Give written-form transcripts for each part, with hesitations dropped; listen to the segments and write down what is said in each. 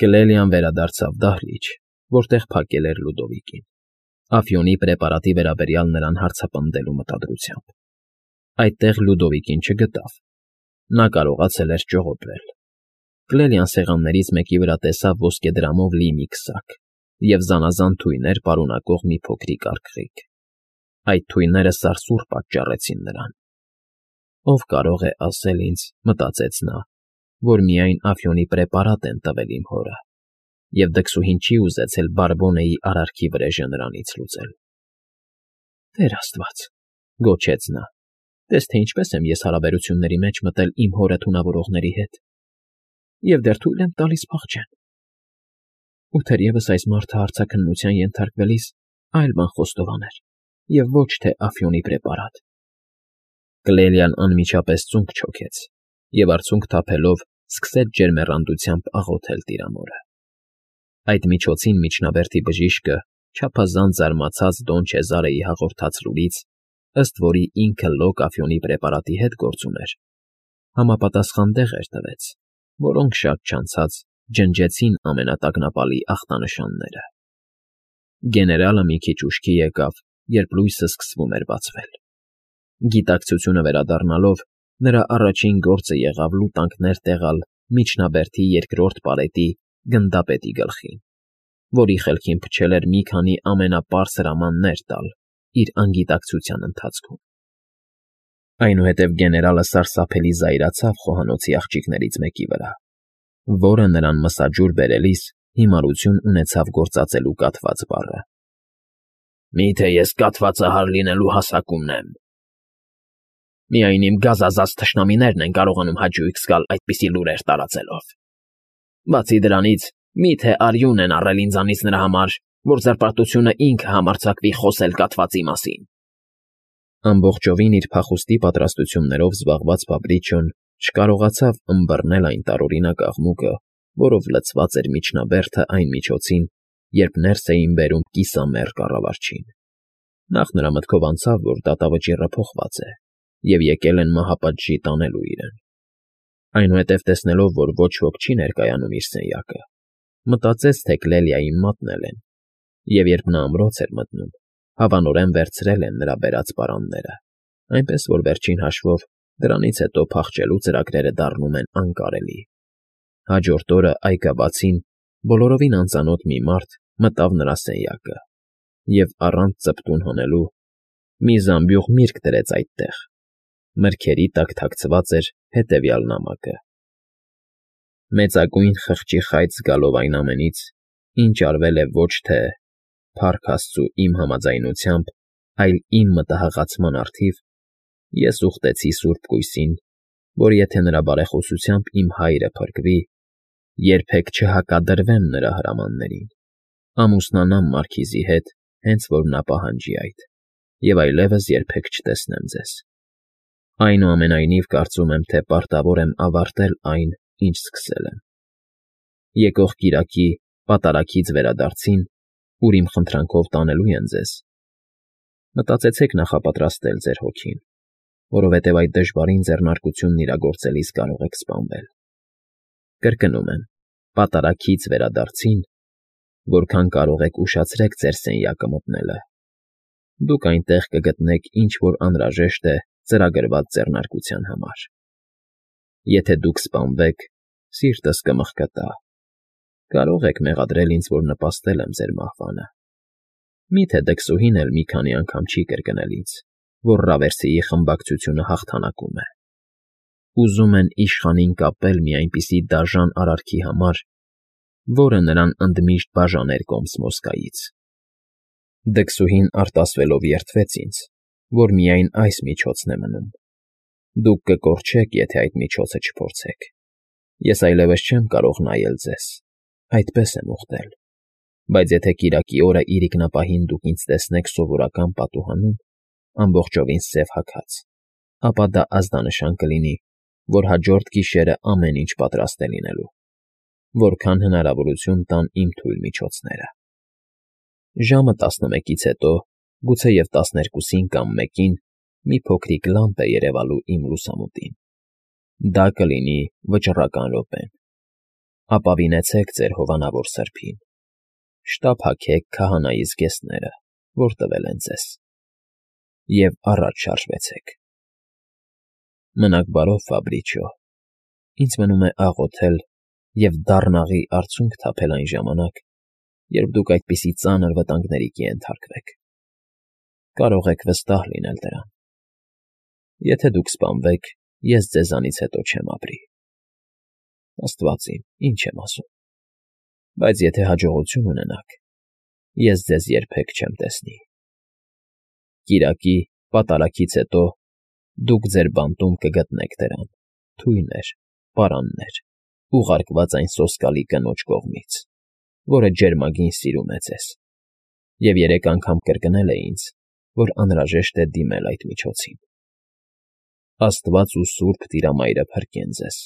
Կլելիան վերադարձավ դահլիճ, որտեղ փակել էր Լուդովիկին, Աֆյոնի պրեպարատի վերաբերյալ նրան հարցապնդելու մտադրությամբ։ Այդտեղ Լուդովիկին չգտավ։ Նա կարողացել էր ճողոպրել։ Կլելիան սեղաններից մեկի վրա տեսավ ոսկեդրամով լի մի քսակ և զանազան թույներ պարունակող մի փոքրիկ արգղիկ։ Այդ թույները սարսուռ պատճառեցին նրան։ Ով կարող է ասել ինձ, մտածեց նա, որ միայն Աֆյոնի պրեպարատ են տվել իմ հորը, և դքսուհին չի ուզեցել Բարբոնեի արարքի վրեժը նրանից լուծել։ Տեր աստված, գոչեց նա, տես թե ինչպես եմ ես հարաբերությունների մեջ մտել իմ հորը թունավորողների հետ, և դեռ թույլ եմ տալիս փախչեն։ Ու թերևս այս մարդը հարցաքննության ենթարկվելիս այլ բան խոստովաներ, և ոչ թե Աֆյոնի պրեպարատ։ Կլելիան անմիջապես ծունկ չոքեց և արցունք թափելով սկսեց ջերմեռանդությամբ աղոթել տիրամորը։ Այդ միջոցին միջնաբերդի բժիշկը չափազանց զարմացած Դոն Չեզարեի հաղորդած լուրից, ըստ որի ինքը լոկ Աֆյոնի պրեպարատի հետ գործ ուներ, համապատասխան դեղեր տվեց, որոնք շատ չանցած ջնջեցին ամենատակնապալի ախտանշանները։ Գեներալը մի քիչ ուշքի եկավ, երբ լույսը սկսվում էր բացվել։ Գիտակցությունը վերադառնալով, նրա առաջին գործը եղավ լուտանքներ տեղալ միջնաբերդի երկրորդ պարետի գնդապետի գլխին, որի խելքին փչել էր մի քանի ամենապարզ հրամաններ տալ իր անգիտակցության ընթացքում։ Այնուհետև գեներալը սարսափելի զայրացավ խոհանոցի աղջիկներից մեկի վրա, որը նրան մսաջուր բերելիս հիմարություն ունեցավ գործածելու կաթված բառը։ Միթե ես կաթվածահար լինելու հասակումն եմ։ Միայն իմ գազազած թշնամիներն են կարողանում հաճույք զգալ այդպիսի լուրեր տարածելով։ Բացի դրանից, միթե արյուն են առել ինձանից նրա համար, որ զրպարտությունը ինքը համարձակվի խոսել կաթվածի մասին։ Ամբողջովին իր փախուստի պատրաստություններով զբաղված Ֆաբրիչոն չկարողացավ ըմբռնել այն տարօրինակ աղմուկը, որով լցված էր միջնաբերդը այն միջոցին, երբ ներս էին բերում կիսամեռ կառավարչին։ Նախ նրա մտքով անցավ, որ դատավճիռը փոխված է, և եկել են մահապատժի տանելու իրեն։ Այնուհետև տեսնելով, որ ոչ ոք չի ներկայանում իր սենյակը, մտածեց, թե Կլելիային մատնել են, և երբ նա ամրոց էր մտնում, հավանորեն վերցրել են նրա բերած պարանները, այնպես որ վերջին հաշվով դրանից հետո փախչելու ծրագրերը դառնում են անկարելի։ Հաջորդ օրը այգաբացին բոլորովին անծանոթ մի մարդ մտավ նրա սենյակը և առանց ծպտուն հանելու մի զամբյուղ միրգ դրեց այդտեղ։ Մրգերի տակ թաքցված էր հետևյալ նամակը. Մեծագույն խղճի խայծ զգալով այն ամենից, ինչ արվել է ոչ թե փառք Աստծու իմ համաձայնությամբ, այլ իմ մտահղացման առթիվ, ես ուխտեցի Սուրբ Կույսին, որ եթե նրա բարեխոսությամբ իմ հայրը փրկվի, երբեք չհակադրվեմ նրա հրամաններին, ամուսնանամ Մարքիզի հետ, հենց որ նա պահանջի այդ, և այլևս երբեք չտեսնեմ ձեզ։ Այնուամենայնիվ կարծում եմ, թե պարտավոր եմ ավարտել այն, ինչ սկսել եմ։ Եկող կիրակի պատարագից վերադարձին, ուր իմ խնդրանքով տանելու են ձեզ, մտածեցեք նախապատրաստել ձեր հոգին, որովհետև այդ դժվարին ձեռնարկությունն իրագործելիս կարող եք սպանվել։ Կրկնում եմ, պատարագից վերադարձին, որքան կարող եք ուշացրեք ձեր սենյակը մտնելը։ Դուք այնտեղ կգտնեք ինչ որ անհրաժեշտ է ծրագրված ձեռնարկության համար։ Եթե դուք սպանվեք, սիրտս կմխկտա։ Կարող եք մեղադրել ինձ, որ նպաստել եմ ձեր մահվանը։ Միթե դքսուհին էլ մի քանի անգամ չի կրկնել ինձ, որ Ռավերսիի խմբակցությունը հաղթանակում է։ Ուզում են իշխանին կապել մի այնպիսի դաժան արարքի համար, որը նրան ընդմիշտ բաժաներ Կոմսմոսկայից։ Դքսուհին արտասվելով երդվեց ինձ, որ միայն այս միջոցն է մնում։ Դուք կկորչեք, եթե այդ միջոցը չփորձեք։ Ես այլևս չեմ կարող նայել ձեզ, այդպես եմ ուխտել, բայց եթե կիրակի օրը իրիկնապահին դուք ինձ տեսնեք սովորական պատուհանում, ամբողջովին սև հագած, ապա դա ազդանշան կլինի, որ հաջորդ գիշերը ամեն ինչ պատրաստ է լինելու, որքան հնարավորություն տան իմ թույլ միջոցները։ Ժամը 11-ից հետո, գուցեև 12-ին կամ 1-ին մի փոքրիկ լամպ է երևալու իմ լուսամուտին։ Դա կլինի վճռական րոպեն։ ապավինեցեք ձեր հովանավոր սրբին, շտապ հագեք քահանայի զգեստները, որ տվել են ձեզ, և առաջ շարժվեցեք։ Մնաք բարով, Ֆաբրիչիո, ինձ մնում է աղոթել և դառնաղի արցունք թափել այն ժամանակ, երբ դուք այդպիսի ծանր վտանգների կենթարկվեք։ Կարող եք վստահ լինել դրան։ Եթե դուք սպանվեք, ես ձեզանից հետո չեմ ապրի։ Աստված իմ, ինչ եմ ասում։ Բայց եթե հաջողություն ունենաք, ես ձեզ երբեք չեմ տեսնի։ Կիրակի պատարագից հետո դուք ձեր բանտում կգտնեք դրան, թույներ, պարաններ, ուղարկված այն սոսկալի կնոջ կողմից, որը ջերմագին սիրում է ձեզ, և 3 անգամ կրկնել է ինձ, որ անհրաժեշտ է դիմել այդ միջոցին։ Աստված ու Սուրբ Տիրամայրը փրկեն ձեզ։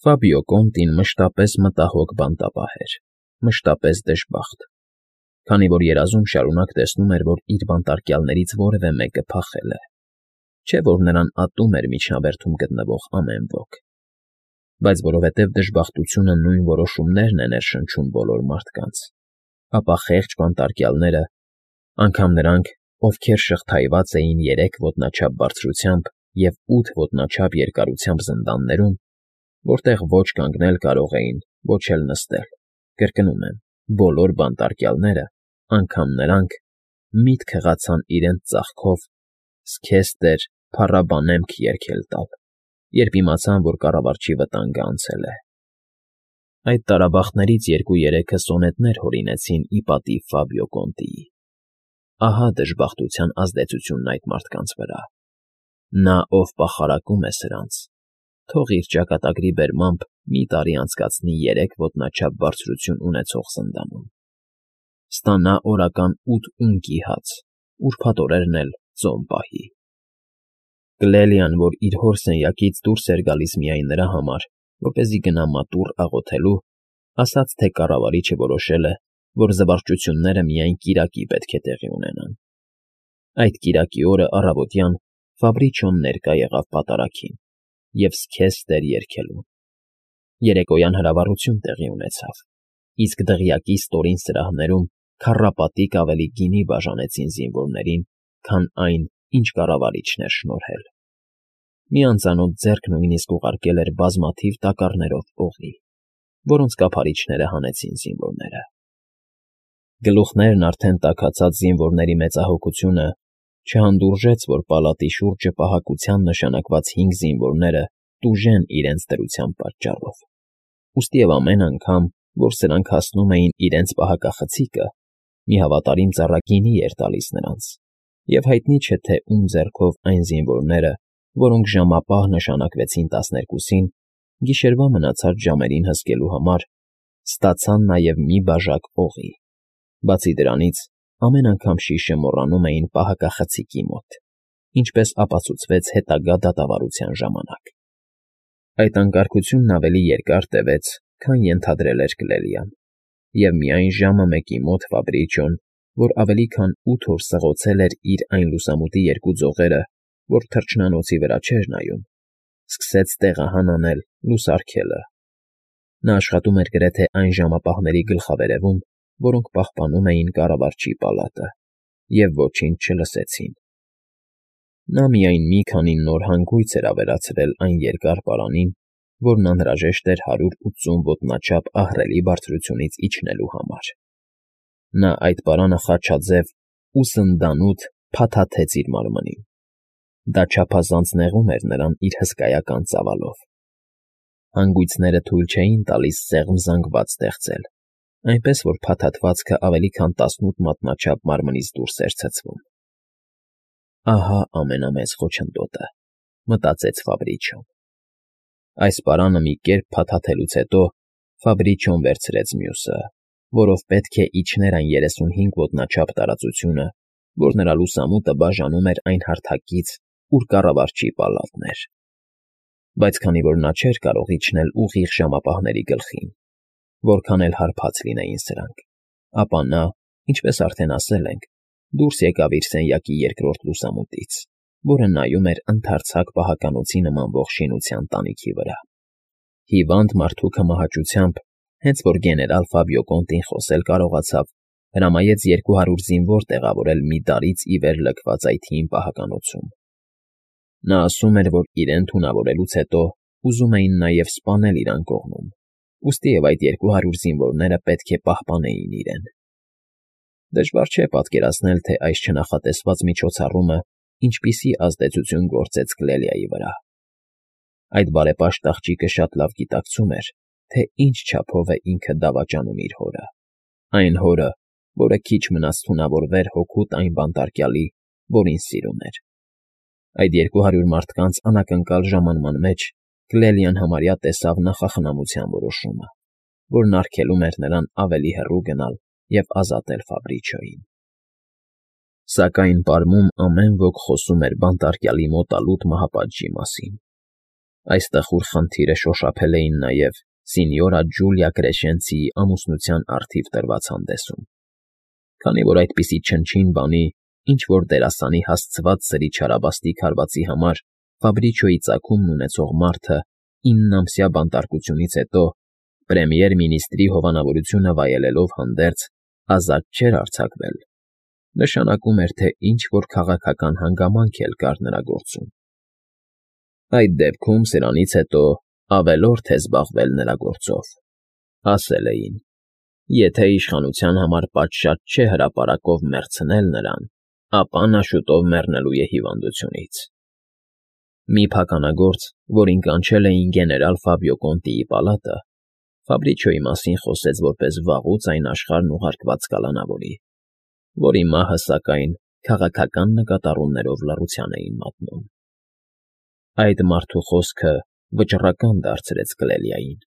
Ֆաբիո Կոնտին մշտապես մտահոգ բանտապահ էր, մշտապես դժբախտ, քանի որ երազում շարունակ տեսնում էր, որ իր բանտարկյալներից որևէ մեկը փախել է, չէ՞ որ նրան ատում էր միջնաբերդում գտնվող ամեն ոք։ Բայց որովհետև դժբախտությունը նույն որոշումներն է ներշնչում բոլոր մարդկանց, ապա խեղճ բանտարկյալները, անգամ նրանք, ովքեր շղթայված էին 3 ոտնաչափ բարձրությամբ և 8 ոտնաչափ երկարությամբ զնդաններում, որտեղ ոչ կանգնել կարող էին, ոչ էլ նստել, կրկնում եմ, բոլոր բանտարկյալները, անգամ նրանք, միտք հղացան իրենց ծախքով «Սքեսթեր, փառաբանեմք» երգել տալ, երբ իմացան, որ կառավարչի վտանգը անցել է։ Այդ տարաբախտներից 2-3-ը սոնետներ հորինեցին ի պատիվ Ֆաբիո Կոնտիի։ Ահա դժբախտության ազդեցությունն այդ մարդկանց վրա։ Նա, ով պախարակում է սրանց, թող իր ճակատագրի բերմամբ մի տարի անցկացնի 3 ոտնաչափ բարձրություն ունեցող զնդանում։ Ստանա օրական 8 ունկի հաց, ուրբաթ օրերն էլ ծոմ պահի։ Կլելիան, որ իր հոր սենյակից դուրս էր գալիս միայն նրա համար, որպեսզի գնա մատուռ աղոթելու, ասաց, թե կառավարիչը որոշել է, որ զվարճությունները միայն կիրակի պետք է տեղի ունենան։ Այդ կիրակի օրը առավոտյան Ֆաբրիչիոն ներկա եղավ պատարագին և «Սքեսթեր» երգելուն։ Երեկոյան հրավառություն տեղի ունեցավ, իսկ դղյակի ստորին սրահներում քառապատիկ ավելի գինի բաժանեցին զինվորներին, քան այն, ինչ կառավարիչն էր շնորհել։ Մի անծանոթ ձեռք նույնիսկ ուղարկել էր բազմաթիվ տակառներով օղի, որոնց կափարիչները հանեցին զինվորները։ Գլուխներն արդեն տաքացած զինվորների մեծահոգությունը չհանդուրժեց, որ պալատի շուրջը պահակության նշանակված 5 զինվորները տուժեն իրենց դրության պատճառով, ուստի և ամեն անգամ, որ սրանք հասնում էին իրենց պահակախցիկը, մի հավատարիմ ծառա գինի էր տալիս նրանց, և հայտնի չէ, թե ում ձեռքով այն զինվորները, որոնք ժամապահ նշանակվեցին 12-ին, գիշերվա մնացած ժամերին հսկելու համար, ստացան նաև մի բաժակ օղի։ Բացի դրանից, ամեն անգամ շիշը մոռանում էին պահակախցիկի մոտ, ինչպես ապացուցվեց հետագա դատավարության ժամանակ։ Այդ անկարգությունն ավելի երկար տևեց, քան ենթադրել էր Կլելիան, և միայն ժամը 1-ի մոտ Ֆաբրիչիոն, որ ավելի քան 8 օր սղոցել էր իր այն լուսամուտի 2 ձողերը, որ թռչնանոցի վրա չէր նայում, սկսեց տեղահան անել լուսարգելը։ Նա աշխատում էր գրեթե այն ժամապահների գլխավերևում, որոնք պահպանում էին կառավարչի պալատը, և ոչինչ չլսեցին։ Նա միայն մի քանի նոր հանգույց էր ավելացրել այն երկար պարանին, որն անհրաժեշտ էր 180 ոտնաչափ ահռելի բարձրությունից իջնելու համար։ Նա այդ պարանը խաչաձև ու սնդանութ փաթաթեց իր մարմնին։ Դա չափազանց նեղում էր նրան իր հսկայական ծավալով։ Հանգույցները թույլ չէին տալիս սեղմ զանգված ստեղծել, այնպես որ փաթաթվածքը ավելի քան 18 մատնաչափ մարմնից դուրս էր ցցվում։ Ահա ամենամեծ խոչընդոտը, մտածեց Ֆաբրիչիոն։ Այս պարանը մի կերպ փաթաթելուց հետո Ֆաբրիչիոն վերցրեց մյուսը, որով պետք է իջներ այն 35 ոտնաչափ տարածությունը, որ նրա լուսամուտը բաժանում էր այն հարթակից, ուր կառավարչի պալատն էր։ Բայց քանի որ նա չէր կարող իջնել ուղիղ ժամապահների գլխին, որքան էլ հարբած լինեին սրանք, ապա նա, ինչպես արդեն ասել ենք, դուրս եկավ իր սենյակի երկրորդ լուսամուտից, որը նայում էր ընդարձակ պահականոցի նմանվող շինության տանիքի վրա։ Հիվանդ մարդու կմահաճությամբ, հենց որ գեներալ Ֆաբիո Կոնտին խոսել կարողացավ, հրամայեց 200 զինվոր տեղավորել մի դարից ի վեր լքված այդ հին պահականոցում։ Նա ասում էր, որ իրեն թունավորելուց հետո ուզում էին նաև սպանել իր անկողնում, ուստի և այդ 200 զինվորները պետք է պահպանեին իրեն։ Դժվար չէ պատկերացնել, թե այս չնախատեսված միջոցառումը ինչպիսի ազդեցություն գործեց Կլելիայի վրա։ Այդ բարեպաշտ աղջիկը շատ լավ գիտակցում էր, թե ինչ չափով է ինքը դավաճանում իր հորը, այն հորը, որը քիչ մնաց թունավորվեր հօգուտ այն բանտարկյալի, որին սիրում էր։ Այդ 200 մարդկանց անակնկալ ժամանման մեջ Կլելիան համարյա տեսավ նախախնամության որոշումը, որն արգելում էր նրան ավելի հեռու գնալ և ազատել Ֆաբրիչոյին։ Սակայն պարմում ամեն ոք խոսում էր բանտարկյալի մոտալուտ մահապատժի մասին։ Այս տխուր խնդիրը շոշափել էին նաև սինյորա Ջուլիա Կրեշենցիի ամուսնության առթիվ տրված հանդեսում, քանի որ այդպիսի չնչին բանի, ինչ-որ դերասանի հասցված սրի չարաբաստիկ հարվածի համար Ֆաբրիչոյի ծագումն ունեցող մարդը 9-ամսյա բանտարկությունից հետո, պրեմիեր֊մինիստրի հովանավորությունը վայելելով հանդերձ, ազատ չէր արձակվել, նշանակում էր, թե ինչ-որ քաղաքական հանգամանք էլ կար նրա գործում։ Այդ դեպքում սրանից հետո ավելորդ է զբաղվել նրա գործով, ասել էին, եթե իշխանության համար պատշաճ չէ հրապարակով մեռցնել նրան, ապա նա շուտով մեռնելու է հիվանդությունից։ Մի փականագործ, որին կանչել էին գեներալ Ֆաբիո Կոնտիի պալատը, Ֆաբրիչոյի մասին խոսեց որպես վաղուց այն աշխարհն ուղարկված կալանավորի, որի մահը, սակայն, քաղաքական նկատառումներով լռության էին մատնում։ Այդ մարդու խոսքը վճռական դարձրեց Կլելիային։